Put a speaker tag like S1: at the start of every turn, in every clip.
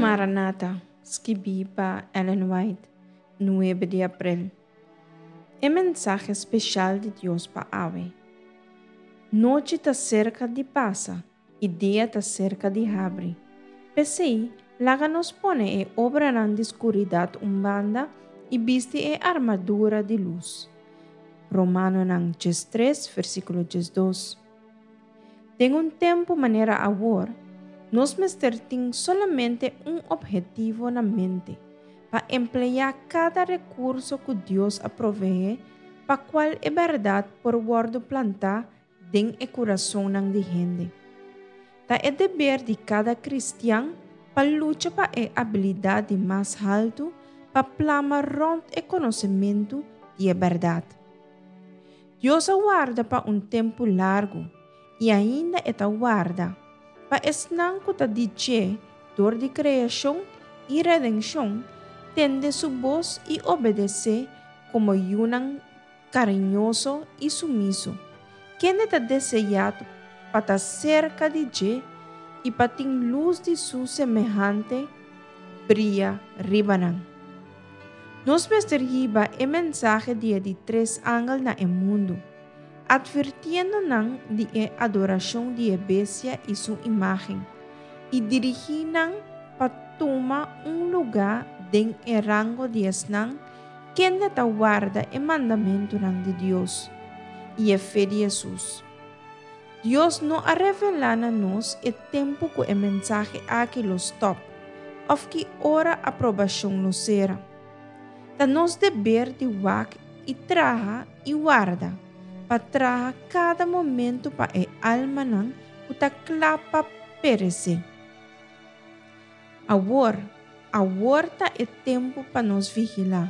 S1: Maranata, skibí pa Ellen White, nuebe di aprel. E mensahe speshal di Dios pa awe. Nochi ta serka di pasa i dia ta serka di habri. P'esei, laga nos pone e obranan di skuridat un banda i bisti e armadura di lus. Romanonan 13, versíkulo 12. Den un tempu manera awor, nos mester tin solamente un ophetivo na mente, pa empleá kada rekurso ku Dios a proveé pa kual e bèrdat por wòrdu plantá den e kurasonnan di hende. Ta e deber di kada kristian pa lucha pa e abilidat di mas haltu pa plama rònt e konosementu di e bèrdat. Dios a warda pa un tempu largu, i ainda e ta warda, pa esnan ku ta di dje dor di kreashon i redenshon tende su bos i obedesé komo yunan kariñoso i sumiso, kende ta deseá pa ta serka di dje i pa tin lus di su semehante bria riba nan. Nos mester hiba e mensahe di e di tres angel na e mundu, atvirtiendo nan di e adorashon di e bestia i su imágen, i dirigí nan pa tuma un lugá den e rango di esnan kende ta warda e mandamentunan di Dios i e fe di Hesus. Dios no a revelá na nos e tempu ku e mensahe aki lo stòp òf ki ora aprobashon lo sera. Ta nos deber di wak i traha i warda pa traha kada momentu pa e almanan ku ta kla pa peresé. Awor, awor ta e tempu pa nos vigilá,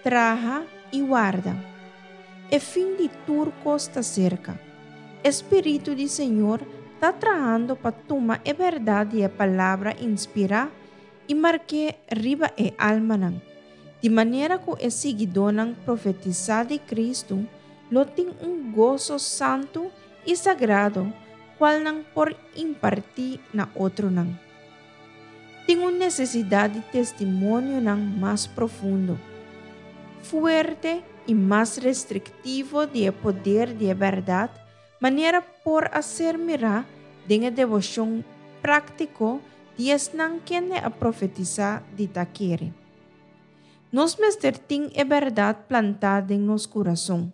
S1: traha i warda. E fin di tur kos ta serka. E spiritu di Señor ta trahando pa tuma e bèrdat di e Palabra inspirá i mark'é riba e almanan, di manera ku e siguidónan profetisá di Kristu lo tin un goso santu i sagrado kual nan por impartí na otronan. Tin un nesesidat di testimonionan mas profundo, fuerte i mas restriktivo di e poder di e bèrdat manera por a ser mirá den e deboshon práktiko di esnan kende a profetisá di ta kere. Nos mester tin e bèrdat plantá den nos kurason.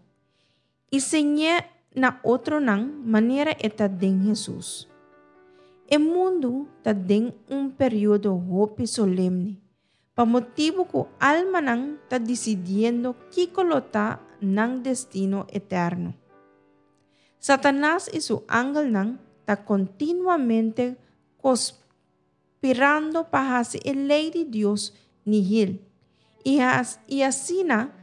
S1: I siñ'é na otronan manera e ta den Hesus. E mundu ta den un periodo hopi solemne, pa motibu ku almanan ta disidiendo kiko lo ta nan destino eterno. Satanas i su angelnan ta kontinuamente kospirando pa hasi e lei di Dios nihil i i asina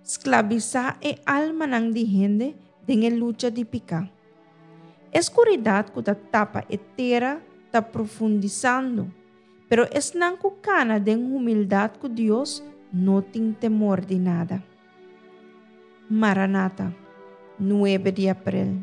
S1: sklabisá e almanan di hende den e lucha di piká. E skuridat ku ta tapa e tera ta profundisando, pero esnan ku kana den humildat ku Dios no tin temor di nada. Maranata, nuebe di aprel.